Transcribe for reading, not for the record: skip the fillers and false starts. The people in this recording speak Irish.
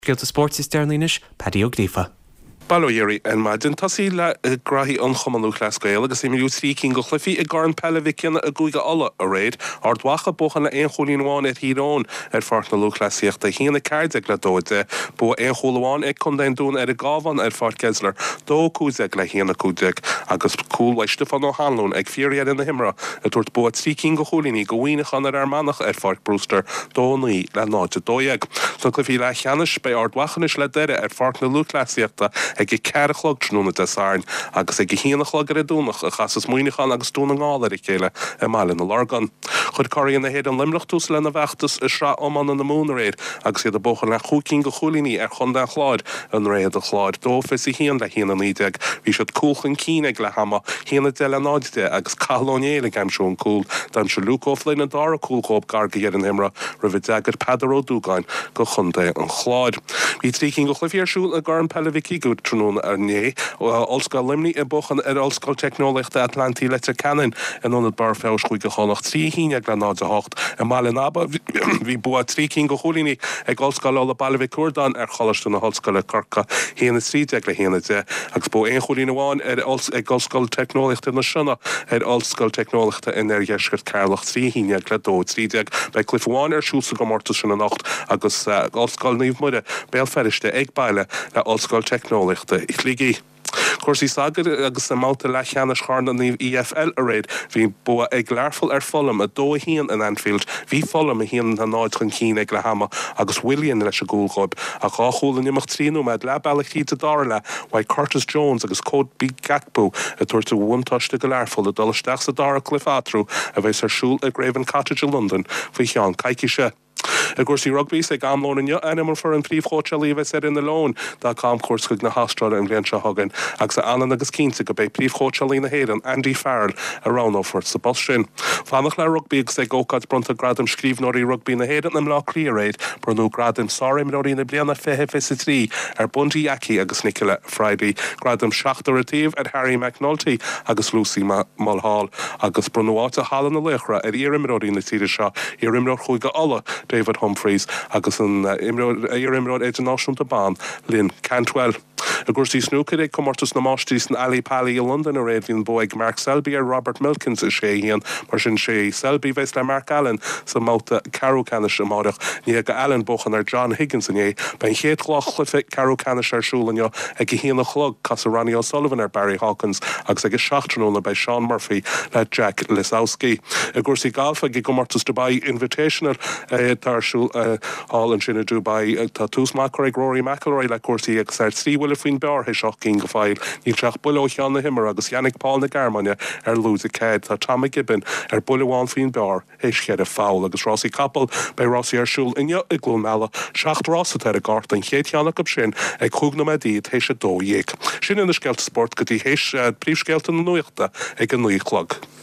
Scéalta spóirt is deireanaí anois, Paddy Ó Gríofa. Bail ó Dhia oraibh ar maidin. Tosaí le graithí an Chumann Lúthchleas Gael agus imríodh 3 cinn de chluichí i gCorn Peile Mhic Cionnaith i gCúige Uladh aréir. Ard Mhacha buachan le aon chúilín amháin ar Thír Eoghain ar Pháirc na Lúthchleasaíochta, 1-14 le 2-10. Bua aon chúl amháin ag Contae an Dúin ar an gCábhán ar Pháirc Esler, 2-15 le 1-15 agus cúl uaidh Stiofán Ó hAnluain ag fíordheireadh na himeartha ag tabhairt bua 3 cinn de chúilíní do Mhuineachán ar Fhear Manach ar Pháirc Brewster, 2-9 le 0-12. Sna cluichí leathcheannais, beidh Ard Mhacha anois le Doire ar Pháirc na Lúthchleasaíochta ag 4 a chlog tráthnóna Dé Sathairn agus ag 1 a chlog ar an Domhnach a chasas Muineachán agus Dún na nGall ar a chéile i mBaile na Lorgan. Chuir curaidh na hÉireann Luimneach tús lena bhfeachtas i Sraith Iomána na Mumhan aréir agus iad ag buachan le chúig cinn de chúilíní ar chontae an Chláir i nDroichead an Chláir, 2-21 le 1-19. Bhí siad cúl chun cinn ag leath ama, 1-10 le 0-10, agus Cathal Ó Néill ag aimsiú an cúl. D'aimsigh Luke O'Flynn an dara cúl dhóibh gar do dheireadh na himeartha roimh a d'fhreagair Peadar Ó Dúgáin do chontae an Chláir. Bhí 3 cinn de chluichí ar siúl i gCorn Peile Mhic Uidhir tráthnóna inné. Ollscoil Luimnigh ag buachan ar Ollscoil Teicneolaíochta Atlantaí Leitir Ceanainn in Ionad Barr Feabhais Chúige Chonnacht, 3 1 le 0 8. I mBaile an Aba bhí bua 3 cinn de chúilíní ag Ollscoil Uladh Baile Mhic Cuardáin ar Choláiste na hOllscoile Corcaigh, 1 13 le 1 10, agus bua aon chúilín amháin ag Ollscoil Teicneolaíochta na Sionna ar Ollscoil Teicneolaíochta an Oirdheiscirt, Ceatharlach, 3 11 le 2 13. Beidh cluiche amháin ar siúl sa gcomórtas sin anocht agus Ollscoil Naomh Muire, Béal Feirste, ag baile le Ollscoil Teicneolaíochta Shligigh. Cúrsaí sacair agus i mbabhta leathcheannais Chorn an EFL aréir, bhí bua ag Learpholl ar Fulham, 2-1 in Anfield. Bhí Fulham 1-0 chun cinn ag leath ama agus Willian leis an gcúl dhóibh. Ach dhá chúl in imeacht 3 nóiméad leath bealaigh thríd an dara leath, uaidh Curtis Jones agus Cody Gakpo ag tabhairt an bhuntáiste do Learpholl ag dul isteach sa dara cluiche eatarthu a bheas ar siúl i gCraven Cottage i Londain faoi cheann coicíse. I gcúrsaí rugbaí, is ag am lóin inniu a ainmneofar an príomhchóitseálaí a bheas ar na Leoin dá gcamchuairt chuig na hAstráile an bhliain seo chugainn agus é ionann agus cinnte go beidh príomhchóitseálaí na hÉireann, Andy Farrell, a roghnófar sa bpost sin. Fanacht le rugbaí agus ag ócáid bronnta Gradaim Scríbhneoirí Rugbaí na hÉireann i mBleá Cliath aréir, bronnadh Gradaim Sárimreoirí na Bliana 2023 ar Bundee Aki agus Nichola Friday, Gradaim Seachtar an Taobh ar Harry McNulty agus Lucy Mulhall agus bronnadh áit i Halla na Laochra ar iarimreoirí na tíre seo, iarimreoir Chúige Uladh, David Humphreys agus an iar-imreoir idirnáisiúnta ban, Lynn Cantwell. I gcúrsaí snúcair, ag Comórtas na Máistrí san Ali Pali i Londain aréir bhí an bua ag Mark Selby ar Robert Milkins, 6-1. Mar sin sé Selby a bheas le Mark Allen sa mbabhta ceathrú ceannais amáireach. I ndiaidh do Allen buachan ar John Higgins inné, beidh an chéad dhá chluiche ceathrú ceannais ar siúl inniu ag a haon a chlog, casfaidh Ronnie O'Sullivan ar Barry Hawkins agus ag a 7 tráthnóna beidh Shaun Murphy le Jack Lisowski. I gcúrsaí gailf ag an gcomórtas Dubai Invitational atá ar siúl thall ansin i Dubai, tá tús maith curtha ag Rory McIlroy le cúrsaí agus é ar 3 bhuille faoin bpar théis 8 gcinn de phoill. Níl sé ach buille ó cheann na himeartha agus Yannick Paul na Gearmáine ar lúide 4. Tá Tommy Gibbon ar buille amháin faoin bpar théis cheithre pholl. Agus rásaí capall, beidh rásaí ar siúl inniu i gCluain Meala. Seacht rás atá ar an gcárta, an chéad cheann acu sin ag chúig nóiméad théis a 12. Sin iad na scéalta spóirt go dtí théis príomhscéalta na nuachta ag a 9 a chlog.